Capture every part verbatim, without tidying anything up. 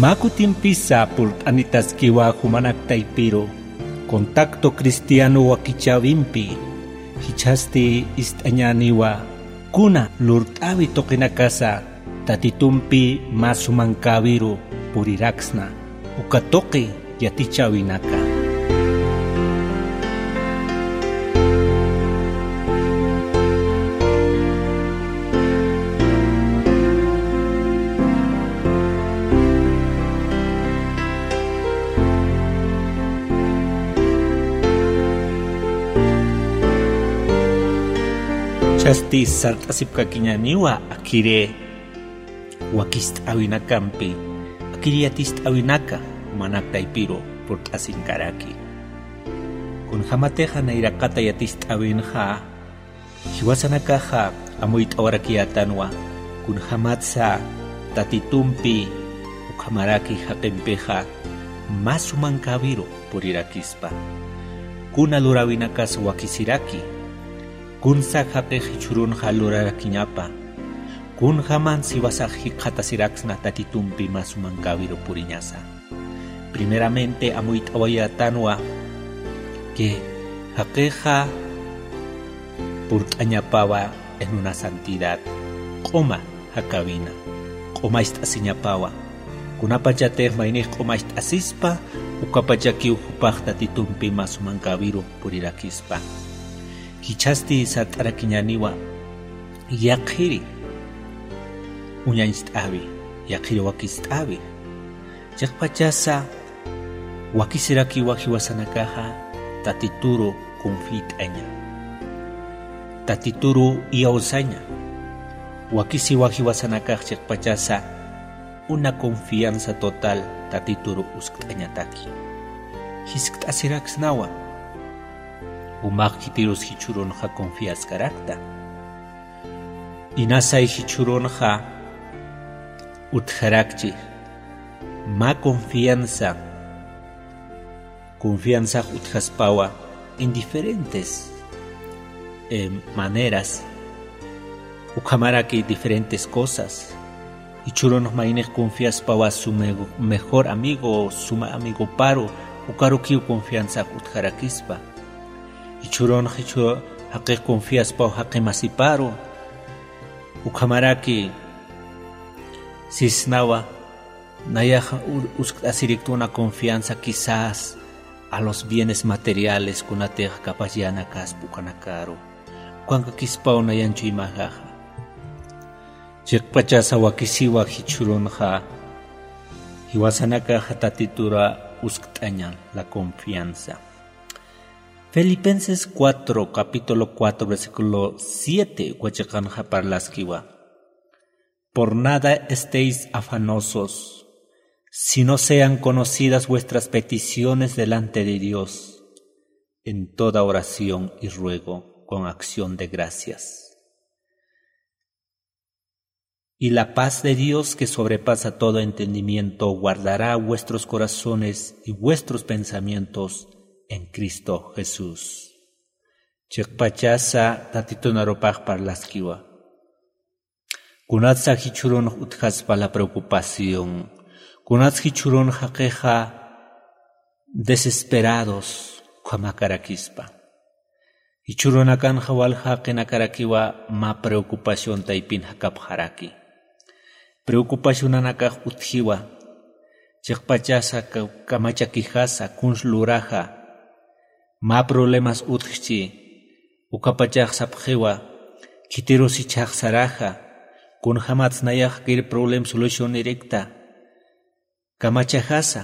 Mä kutimpisa purt'anitaskiwa jumanak taypiru contacto cristiano wakichäwimpi. Jichhasti ist'añäniwa kuna lurt'äwi tuqinakasa Tatitumpi mä sumankäwiru puriraksna, uka tuqi yatichäwinaka. Jichhasti sart'asipkakiñäniwa akhiri wakist'äwinakampi, akhiri yatist'äwinaka jumanak taypiru purt'asinkaraki. Kunjämatixa nayraqata yatist'äwinxa, jiwasanakaxa amuyt'awarakiyätanwa kunjämatsa Tatitumpi ukhamaraki jaqimpixa mä sumankäwiru purirakispa. Kuna luräwinakas wakisiraki, kunsa jaqix jichhürunxa lurarakiñapa, kunjämans jiwasax jikxatasiraksna Tatitumpi mä sumankäwiru puriñasa. Primeramente amuyt'awayätanwa que jaqixa purt'añapawa en una santidad, q'uma jakäwina, q'umacht'asiñapawa. Kunapachatix maynix q'umacht'asispa, ukapachakiw jupax Tatitumpi mä sumankäwiru purirakispa. Jichhasti sart'arakiñäniwa yaqhiri uñañcht'äwi, yaqhiri wakist'äwi. Chiqpachasa wakisirakiwa jiwasanakaxa Tatituru confiayt'aña, Tatituru iyawsaña. Wakisiwa jiwasanakax chiqpachasa una confianza total Tatituru uskt'añataki. Jiskt'asiraksnawa jumax khitirus jichhürunxa confiaskarakta. Inasay jichhürunxa utjarakchi mä confianza, confianzax utjaspawa en diferentes, eh, maneras, ukhamaraki diferentes cosas. Jichhürunx maynix confiaspawa su me-, mejor amigo, suma amigoparu, ukarukiw confianzax utjarakispa. Jichhürunx jichhü jaqix confiaspaw jaqi masiparu, ukhamaraki sisnawa, nayax u-, uskt'asirikta una confianza quizás a los bienes materiales kunatix capaz yänakaspa ukanakaru. Ukankakispaw nayan chuymaxaxa. Chiqpachasa wakisiwa jichhürunxa jiwasanakaxa Tatitura uskt'aña la confianza. Filipenses cuatro, capítulo cuatro, versículo siete, uka chiqanxa parlaskiwa: "Por nada estéis afanosos, sino sean conocidas vuestras peticiones delante de Dios, en toda oración y ruego, con acción de gracias. Y la paz de Dios, que sobrepasa todo entendimiento, guardará vuestros corazones y vuestros pensamientos en Cristo Jesús". Chiqpachasa Tatitun arupax parlaskiwa. Kunatsa jichhürunx utjaspa la preocupación, kunatsa jichhürunx jaqixa desesperados ukhamakarakispa. Jichhürunakanxa walja jaqinakarakiwa mä preocupación taypin jakapxaraki. Preocupacionanakax utjiwa, chiqpachasa ka-, kamachakijasa, kuns luraxa, mä problemas utjchi, ukapachax sapxiwa, khitirus jichhax saraxa, kunjämats nayax kir problem solucionirikta, kamachajasa.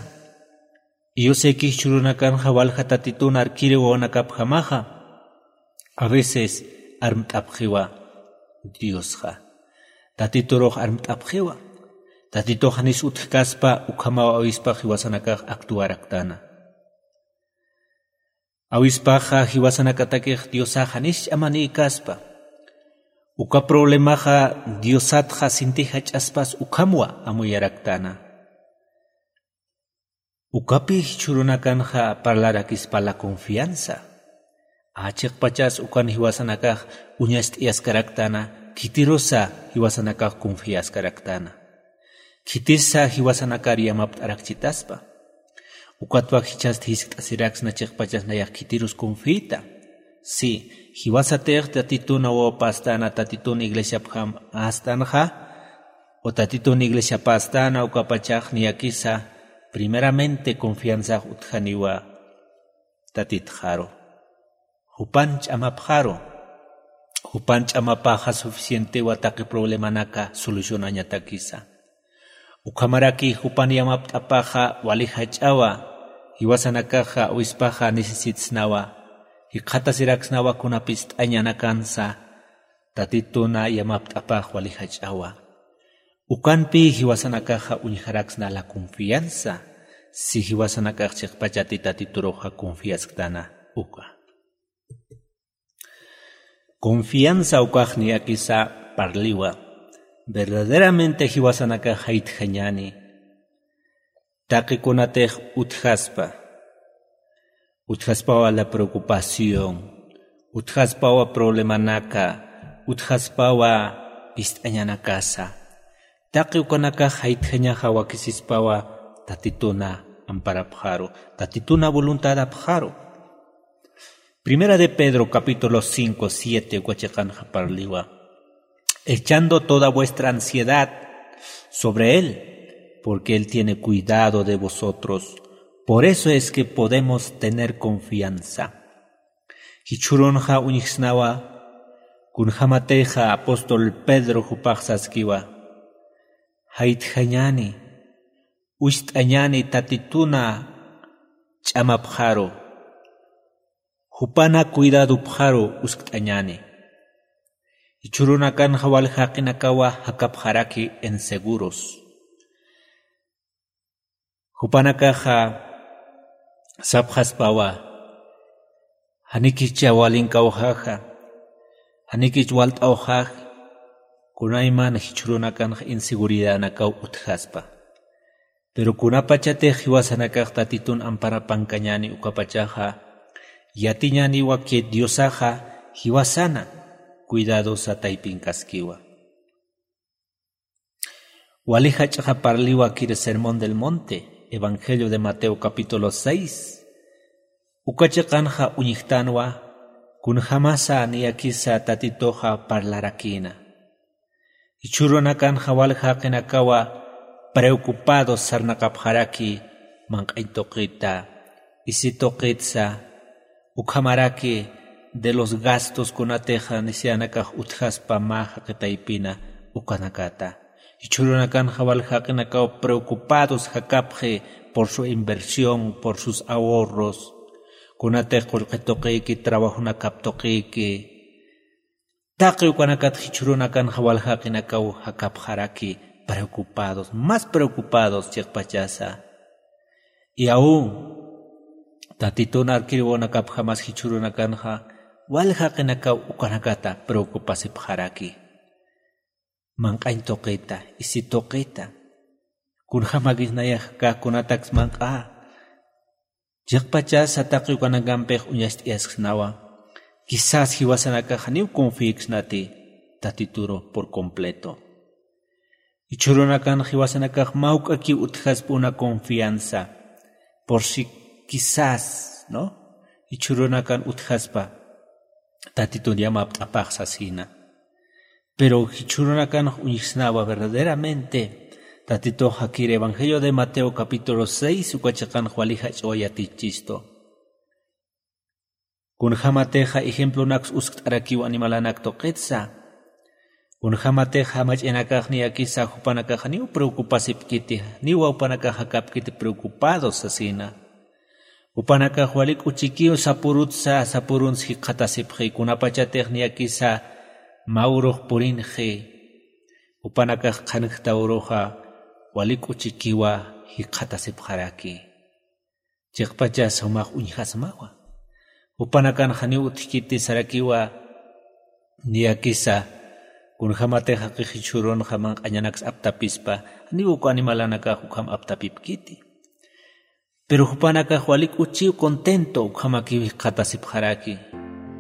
Iyusayki jichhürunakanxa walja Tatitun arkiri wawanakapjamaxa, a veces armt'apxiwa Diosxa. Tatiturux armt'apxiwa. Tatitux janis utjkaspa, ukhamaw awispax jiwasanakax actuaraktäna. Awispaxa jiwasanakatakix Diosax janis ch'amanïkaspa. Uka problemaxa Diosatxa sinti jach'aspas ukhamwa amuyaraktäna. Ukapi jichhürunakanxa parlarakispa la confianza. Chiqpachas ukan jiwasanakax uñacht'ayaskaraktäna, khitirusa jiwasanakax confiaskaraktäna. Khitisa jiwasanakar yamapt'arakchitaspa. Ukatwa jichhasti jiskt'asiraksna chiqpachas nayax khitirus confiyta. Si, jiwasatix Tatitun awawapastana, Tatitun iglesiapjam astanxa, o Tatitun iglesiapastana, ukapachax niyakisa primeramente confianzax utjaniwa Tatitxaru. Jupan ch'amapxaru. Jupan ch'amapaxa suficientewa taqi problemanaka solucionañatakisa. Ukhamaraki jupan yamapt'apaxa wali jach'awa, jiwasanakaxa awispaxa necesitsnawa, jikxatasiraksnawa kuna pist'añanakansa, Tatituna yamapt'apax wali jach'awa. Ukanpi jiwasanakaxa uñjaraksna la confianza, si jiwasanakax chiqpachati Tatituruxa confiasktana uka. Confianza ukax niyakisa parliwa. Verdaderamente jiwasanakax jaytjañani. Taqi kunatix utjaspa. Utjaspawa la preocupación. Utjaspawa problemanaka. Utjaspawa pist'añanakasa. Taqi ukanakax jaytjañaxa wakisispawa Tatituna amparapxaru. Tatituna voluntadapxaru. Primera de Pedro, capítulo cinco, siete, uka chiqanxa parliwa. Echando toda vuestra ansiedad sobre él, porque él tiene cuidado de vosotros. Por eso es que podemos tener confianza. Jichhürunxa uñjsnawa, kunjämatixa apóstol Pedro jupax saskiwa. Jaytjañani, wist'añani Tatituna ch'amapxaru. Jupana cuidadopxaru uskt'añani. Jichhürunakanxa wal jaqinakawa jakapxaraki inseguros. Jupanakaxa sapxaspawa, janikicha walinkawxaxa, janikich walt'awxax, kunayman jichhürunakanxa inseguridadanakaw utjaspa. Pero kunapachatix jiwasanakax Tatitun amparapankañani ukapachaxa, yatiñaniwa que Diosaxa jiwasana cuidadosa taypinkaskiwa. Wali jach'axa parliwa kir Sermón del Monte, Evangelio de Mateo capítulo seis. Uka chiqanxa uñjtanwa, kunjämasa niyakisa Tatituxa parlarakïna. Jichhürunakanxa wal jaqinakawa preocupados sarnaqapxaraki manq'añ tuqita, isi tuqitsa, ukhamaraki de los gastos kunatixa necesidadnakax utjaspa mä jaqi taypina ukanakata. Jichhürunakanxa wal jaqinakaw preocupados jakapxi por su inversión, por sus ahorros, kunatix qullqi tuqiki, trabajonakap tuqiki, taqi ukanakat jichhürunakanxa wal jaqinakaw jakapxaraki preocupados, más preocupados chiqpachasa. Y aún Tatitun arkiriwanakapjamas jichhürunakanxa wal jaqinakaw ukanakata preocupasipxaraki. Manq'añ tuqita, isi tuqita. Kunjämakis nayax kä kunataks manq'a. Chiqpachasa taqi ukanakampix uñacht'ayasksnawa. Quizás jiwasanakax janiw confiiksnati Tatituru por completo. Jichhürunakan jiwasanakax mä juk'akiw utjaspa una confianza. Por si quizás, ¿no? Jichhürunakan utjaspa Tatitun yamapt'apax sasina. Pero jichhürunakanx uñjsnawa verdaderamente Tatitux jakir Evangelio de Mateo capítulo seis uka chiqanx wali jach'aw yatichistu. Kunjämatixa ejemplonaks uskt'arakiw animalanak tuqitsa. Kunjämatixa mach'ayanakax niyakisa jupanakax janiw preocupasipkiti, janiw jupanakax jakapkiti preocupados sasina. Jupanakax wali k'uchikiw sapurutsa, sapurunsa jikxatasipxi, kunapachatix niyakisa mä urux purinxi. Jupanakax qhanjta uruxa wali k'uchikiwa jikxatasipxaraki. Chiqpachas jumax uñjasmawa. Jupanakan janiw utjkiti sarakiwa, niyakisa, kunjämatix jaqix jichhürunxa manq'añanaks aptapispa, janiw uk animalanakax ukham aptapipkiti. Pero jupanakax wali k'uchiw contento ukhamakiw jikxatasipxaraki.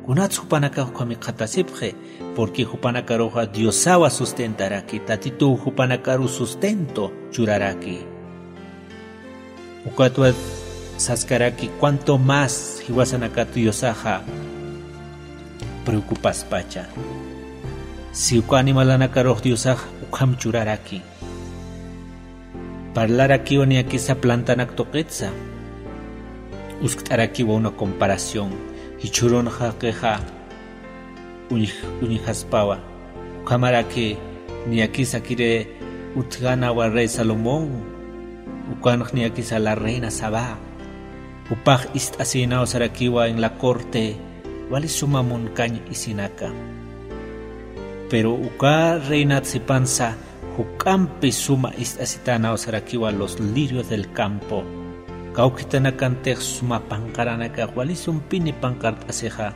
Kunats jupanakax ukham jikxatasipxi, porque jupanakaruxa Diosawa sustentaraki, Tatituw jupanakaru sustento churaraki. Ukatwa saskaraki cuanto más jiwasanakat Diosaxa preocupaspacha. Si uka animalanakarux Diosax ukham churaraki. Parlarakiwa niyakisa plantanak tuqitsa. Uskt'arakiwa una comparación. Jichhürunxa qixa uñj-, uñjaspawa. Ukhamaraki niyakisa kiri utjänawa rey Salomón. Ukanx niyakisa la reina Sabá. Jupax ist'asïnaw sarakiwa en la corte, wali suma munkañ isinaka. Pero uka reinat sipansa, juk'ampi suma ist'asitänaw sarakiwa los lirios del campo. Kawkhitanakantix suma panqaranakax wali sumpini panqart'asixa,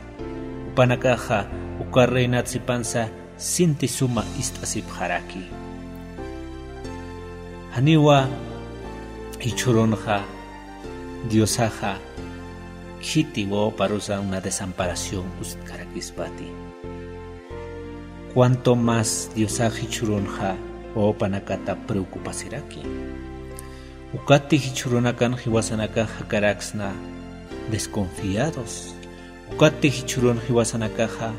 jupanakaxa uka reinat sipansa sinti suma ist'asipxaraki. Janiwa jichhürunxa Diosaxa khiti wawaparusa una desamparación uskt'arakispati. Cuanto más Diosax jichhürunxa wawapanakata preocupasiraki. Ukatti jichhürunakan jiwasanakax jakaraksna desconfiados. Ukatti jichhürun jiwasanakaxa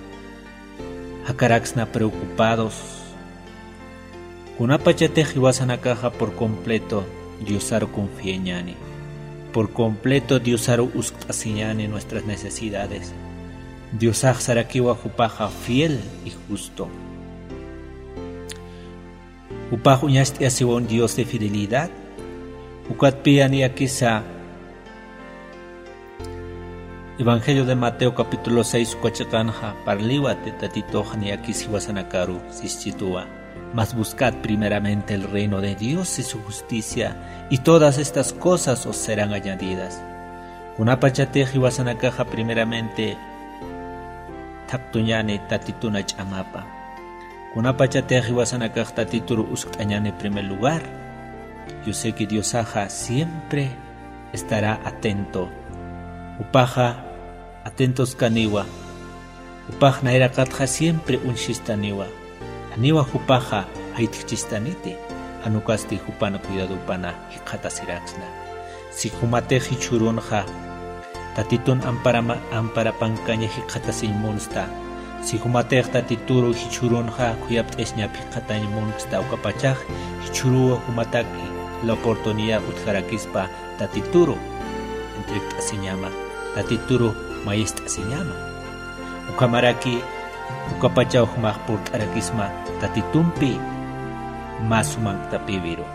jakaraksna preocupados. Kunapachatix jiwasanakaxa por completo Diosaru confiañäni. Por completo Diosaru uskt'asiñäni nuestras necesidades. Diosax sarakiwa jupaxa fiel y justo. Jupax uñacht'ayasiwa un Dios de fidelidad. Ukatpï niyakisa Evangelio de Mateo capítulo seis uka chiqanxa parliwati Tatituxa niyakis jiwasanakaru sischituwa. Mas buscad primeramente el reino de Dios y su justicia, y todas estas cosas os serán añadidas. Kunapachatix jiwasanakaxa primeramente thaqtuñäni Tatituna ch'amapa. Kunapachatix jiwasanakax Tatituru uskt'añäni primer lugar. Yo sé que Diosaxa siempre estará atento. Jupaxa atentoskaniwa. Jupax nayraqatxa siempre uñsistaniwa. Janiwa jupaxa jayt'kchistaniti. Jan ukasti jupan cuidadopana jikxatasiraksna. Si jumatix jichhürunxa Tatitun amparama-, amparapankaña jikxatasiñ munsta. Si jumatix Tatituru jichhürunxa khuyapt'asiñap jikxatañ munsta, ukapachax jichhüruw jumataki la oportunidad utjarakispa Tatituru entrekt'asiñama, Tatituru mayist'asiñama. Ukhamaraki ukapachaw jumax purt'arakisma Tatitumpi mä sumanktapïwiru.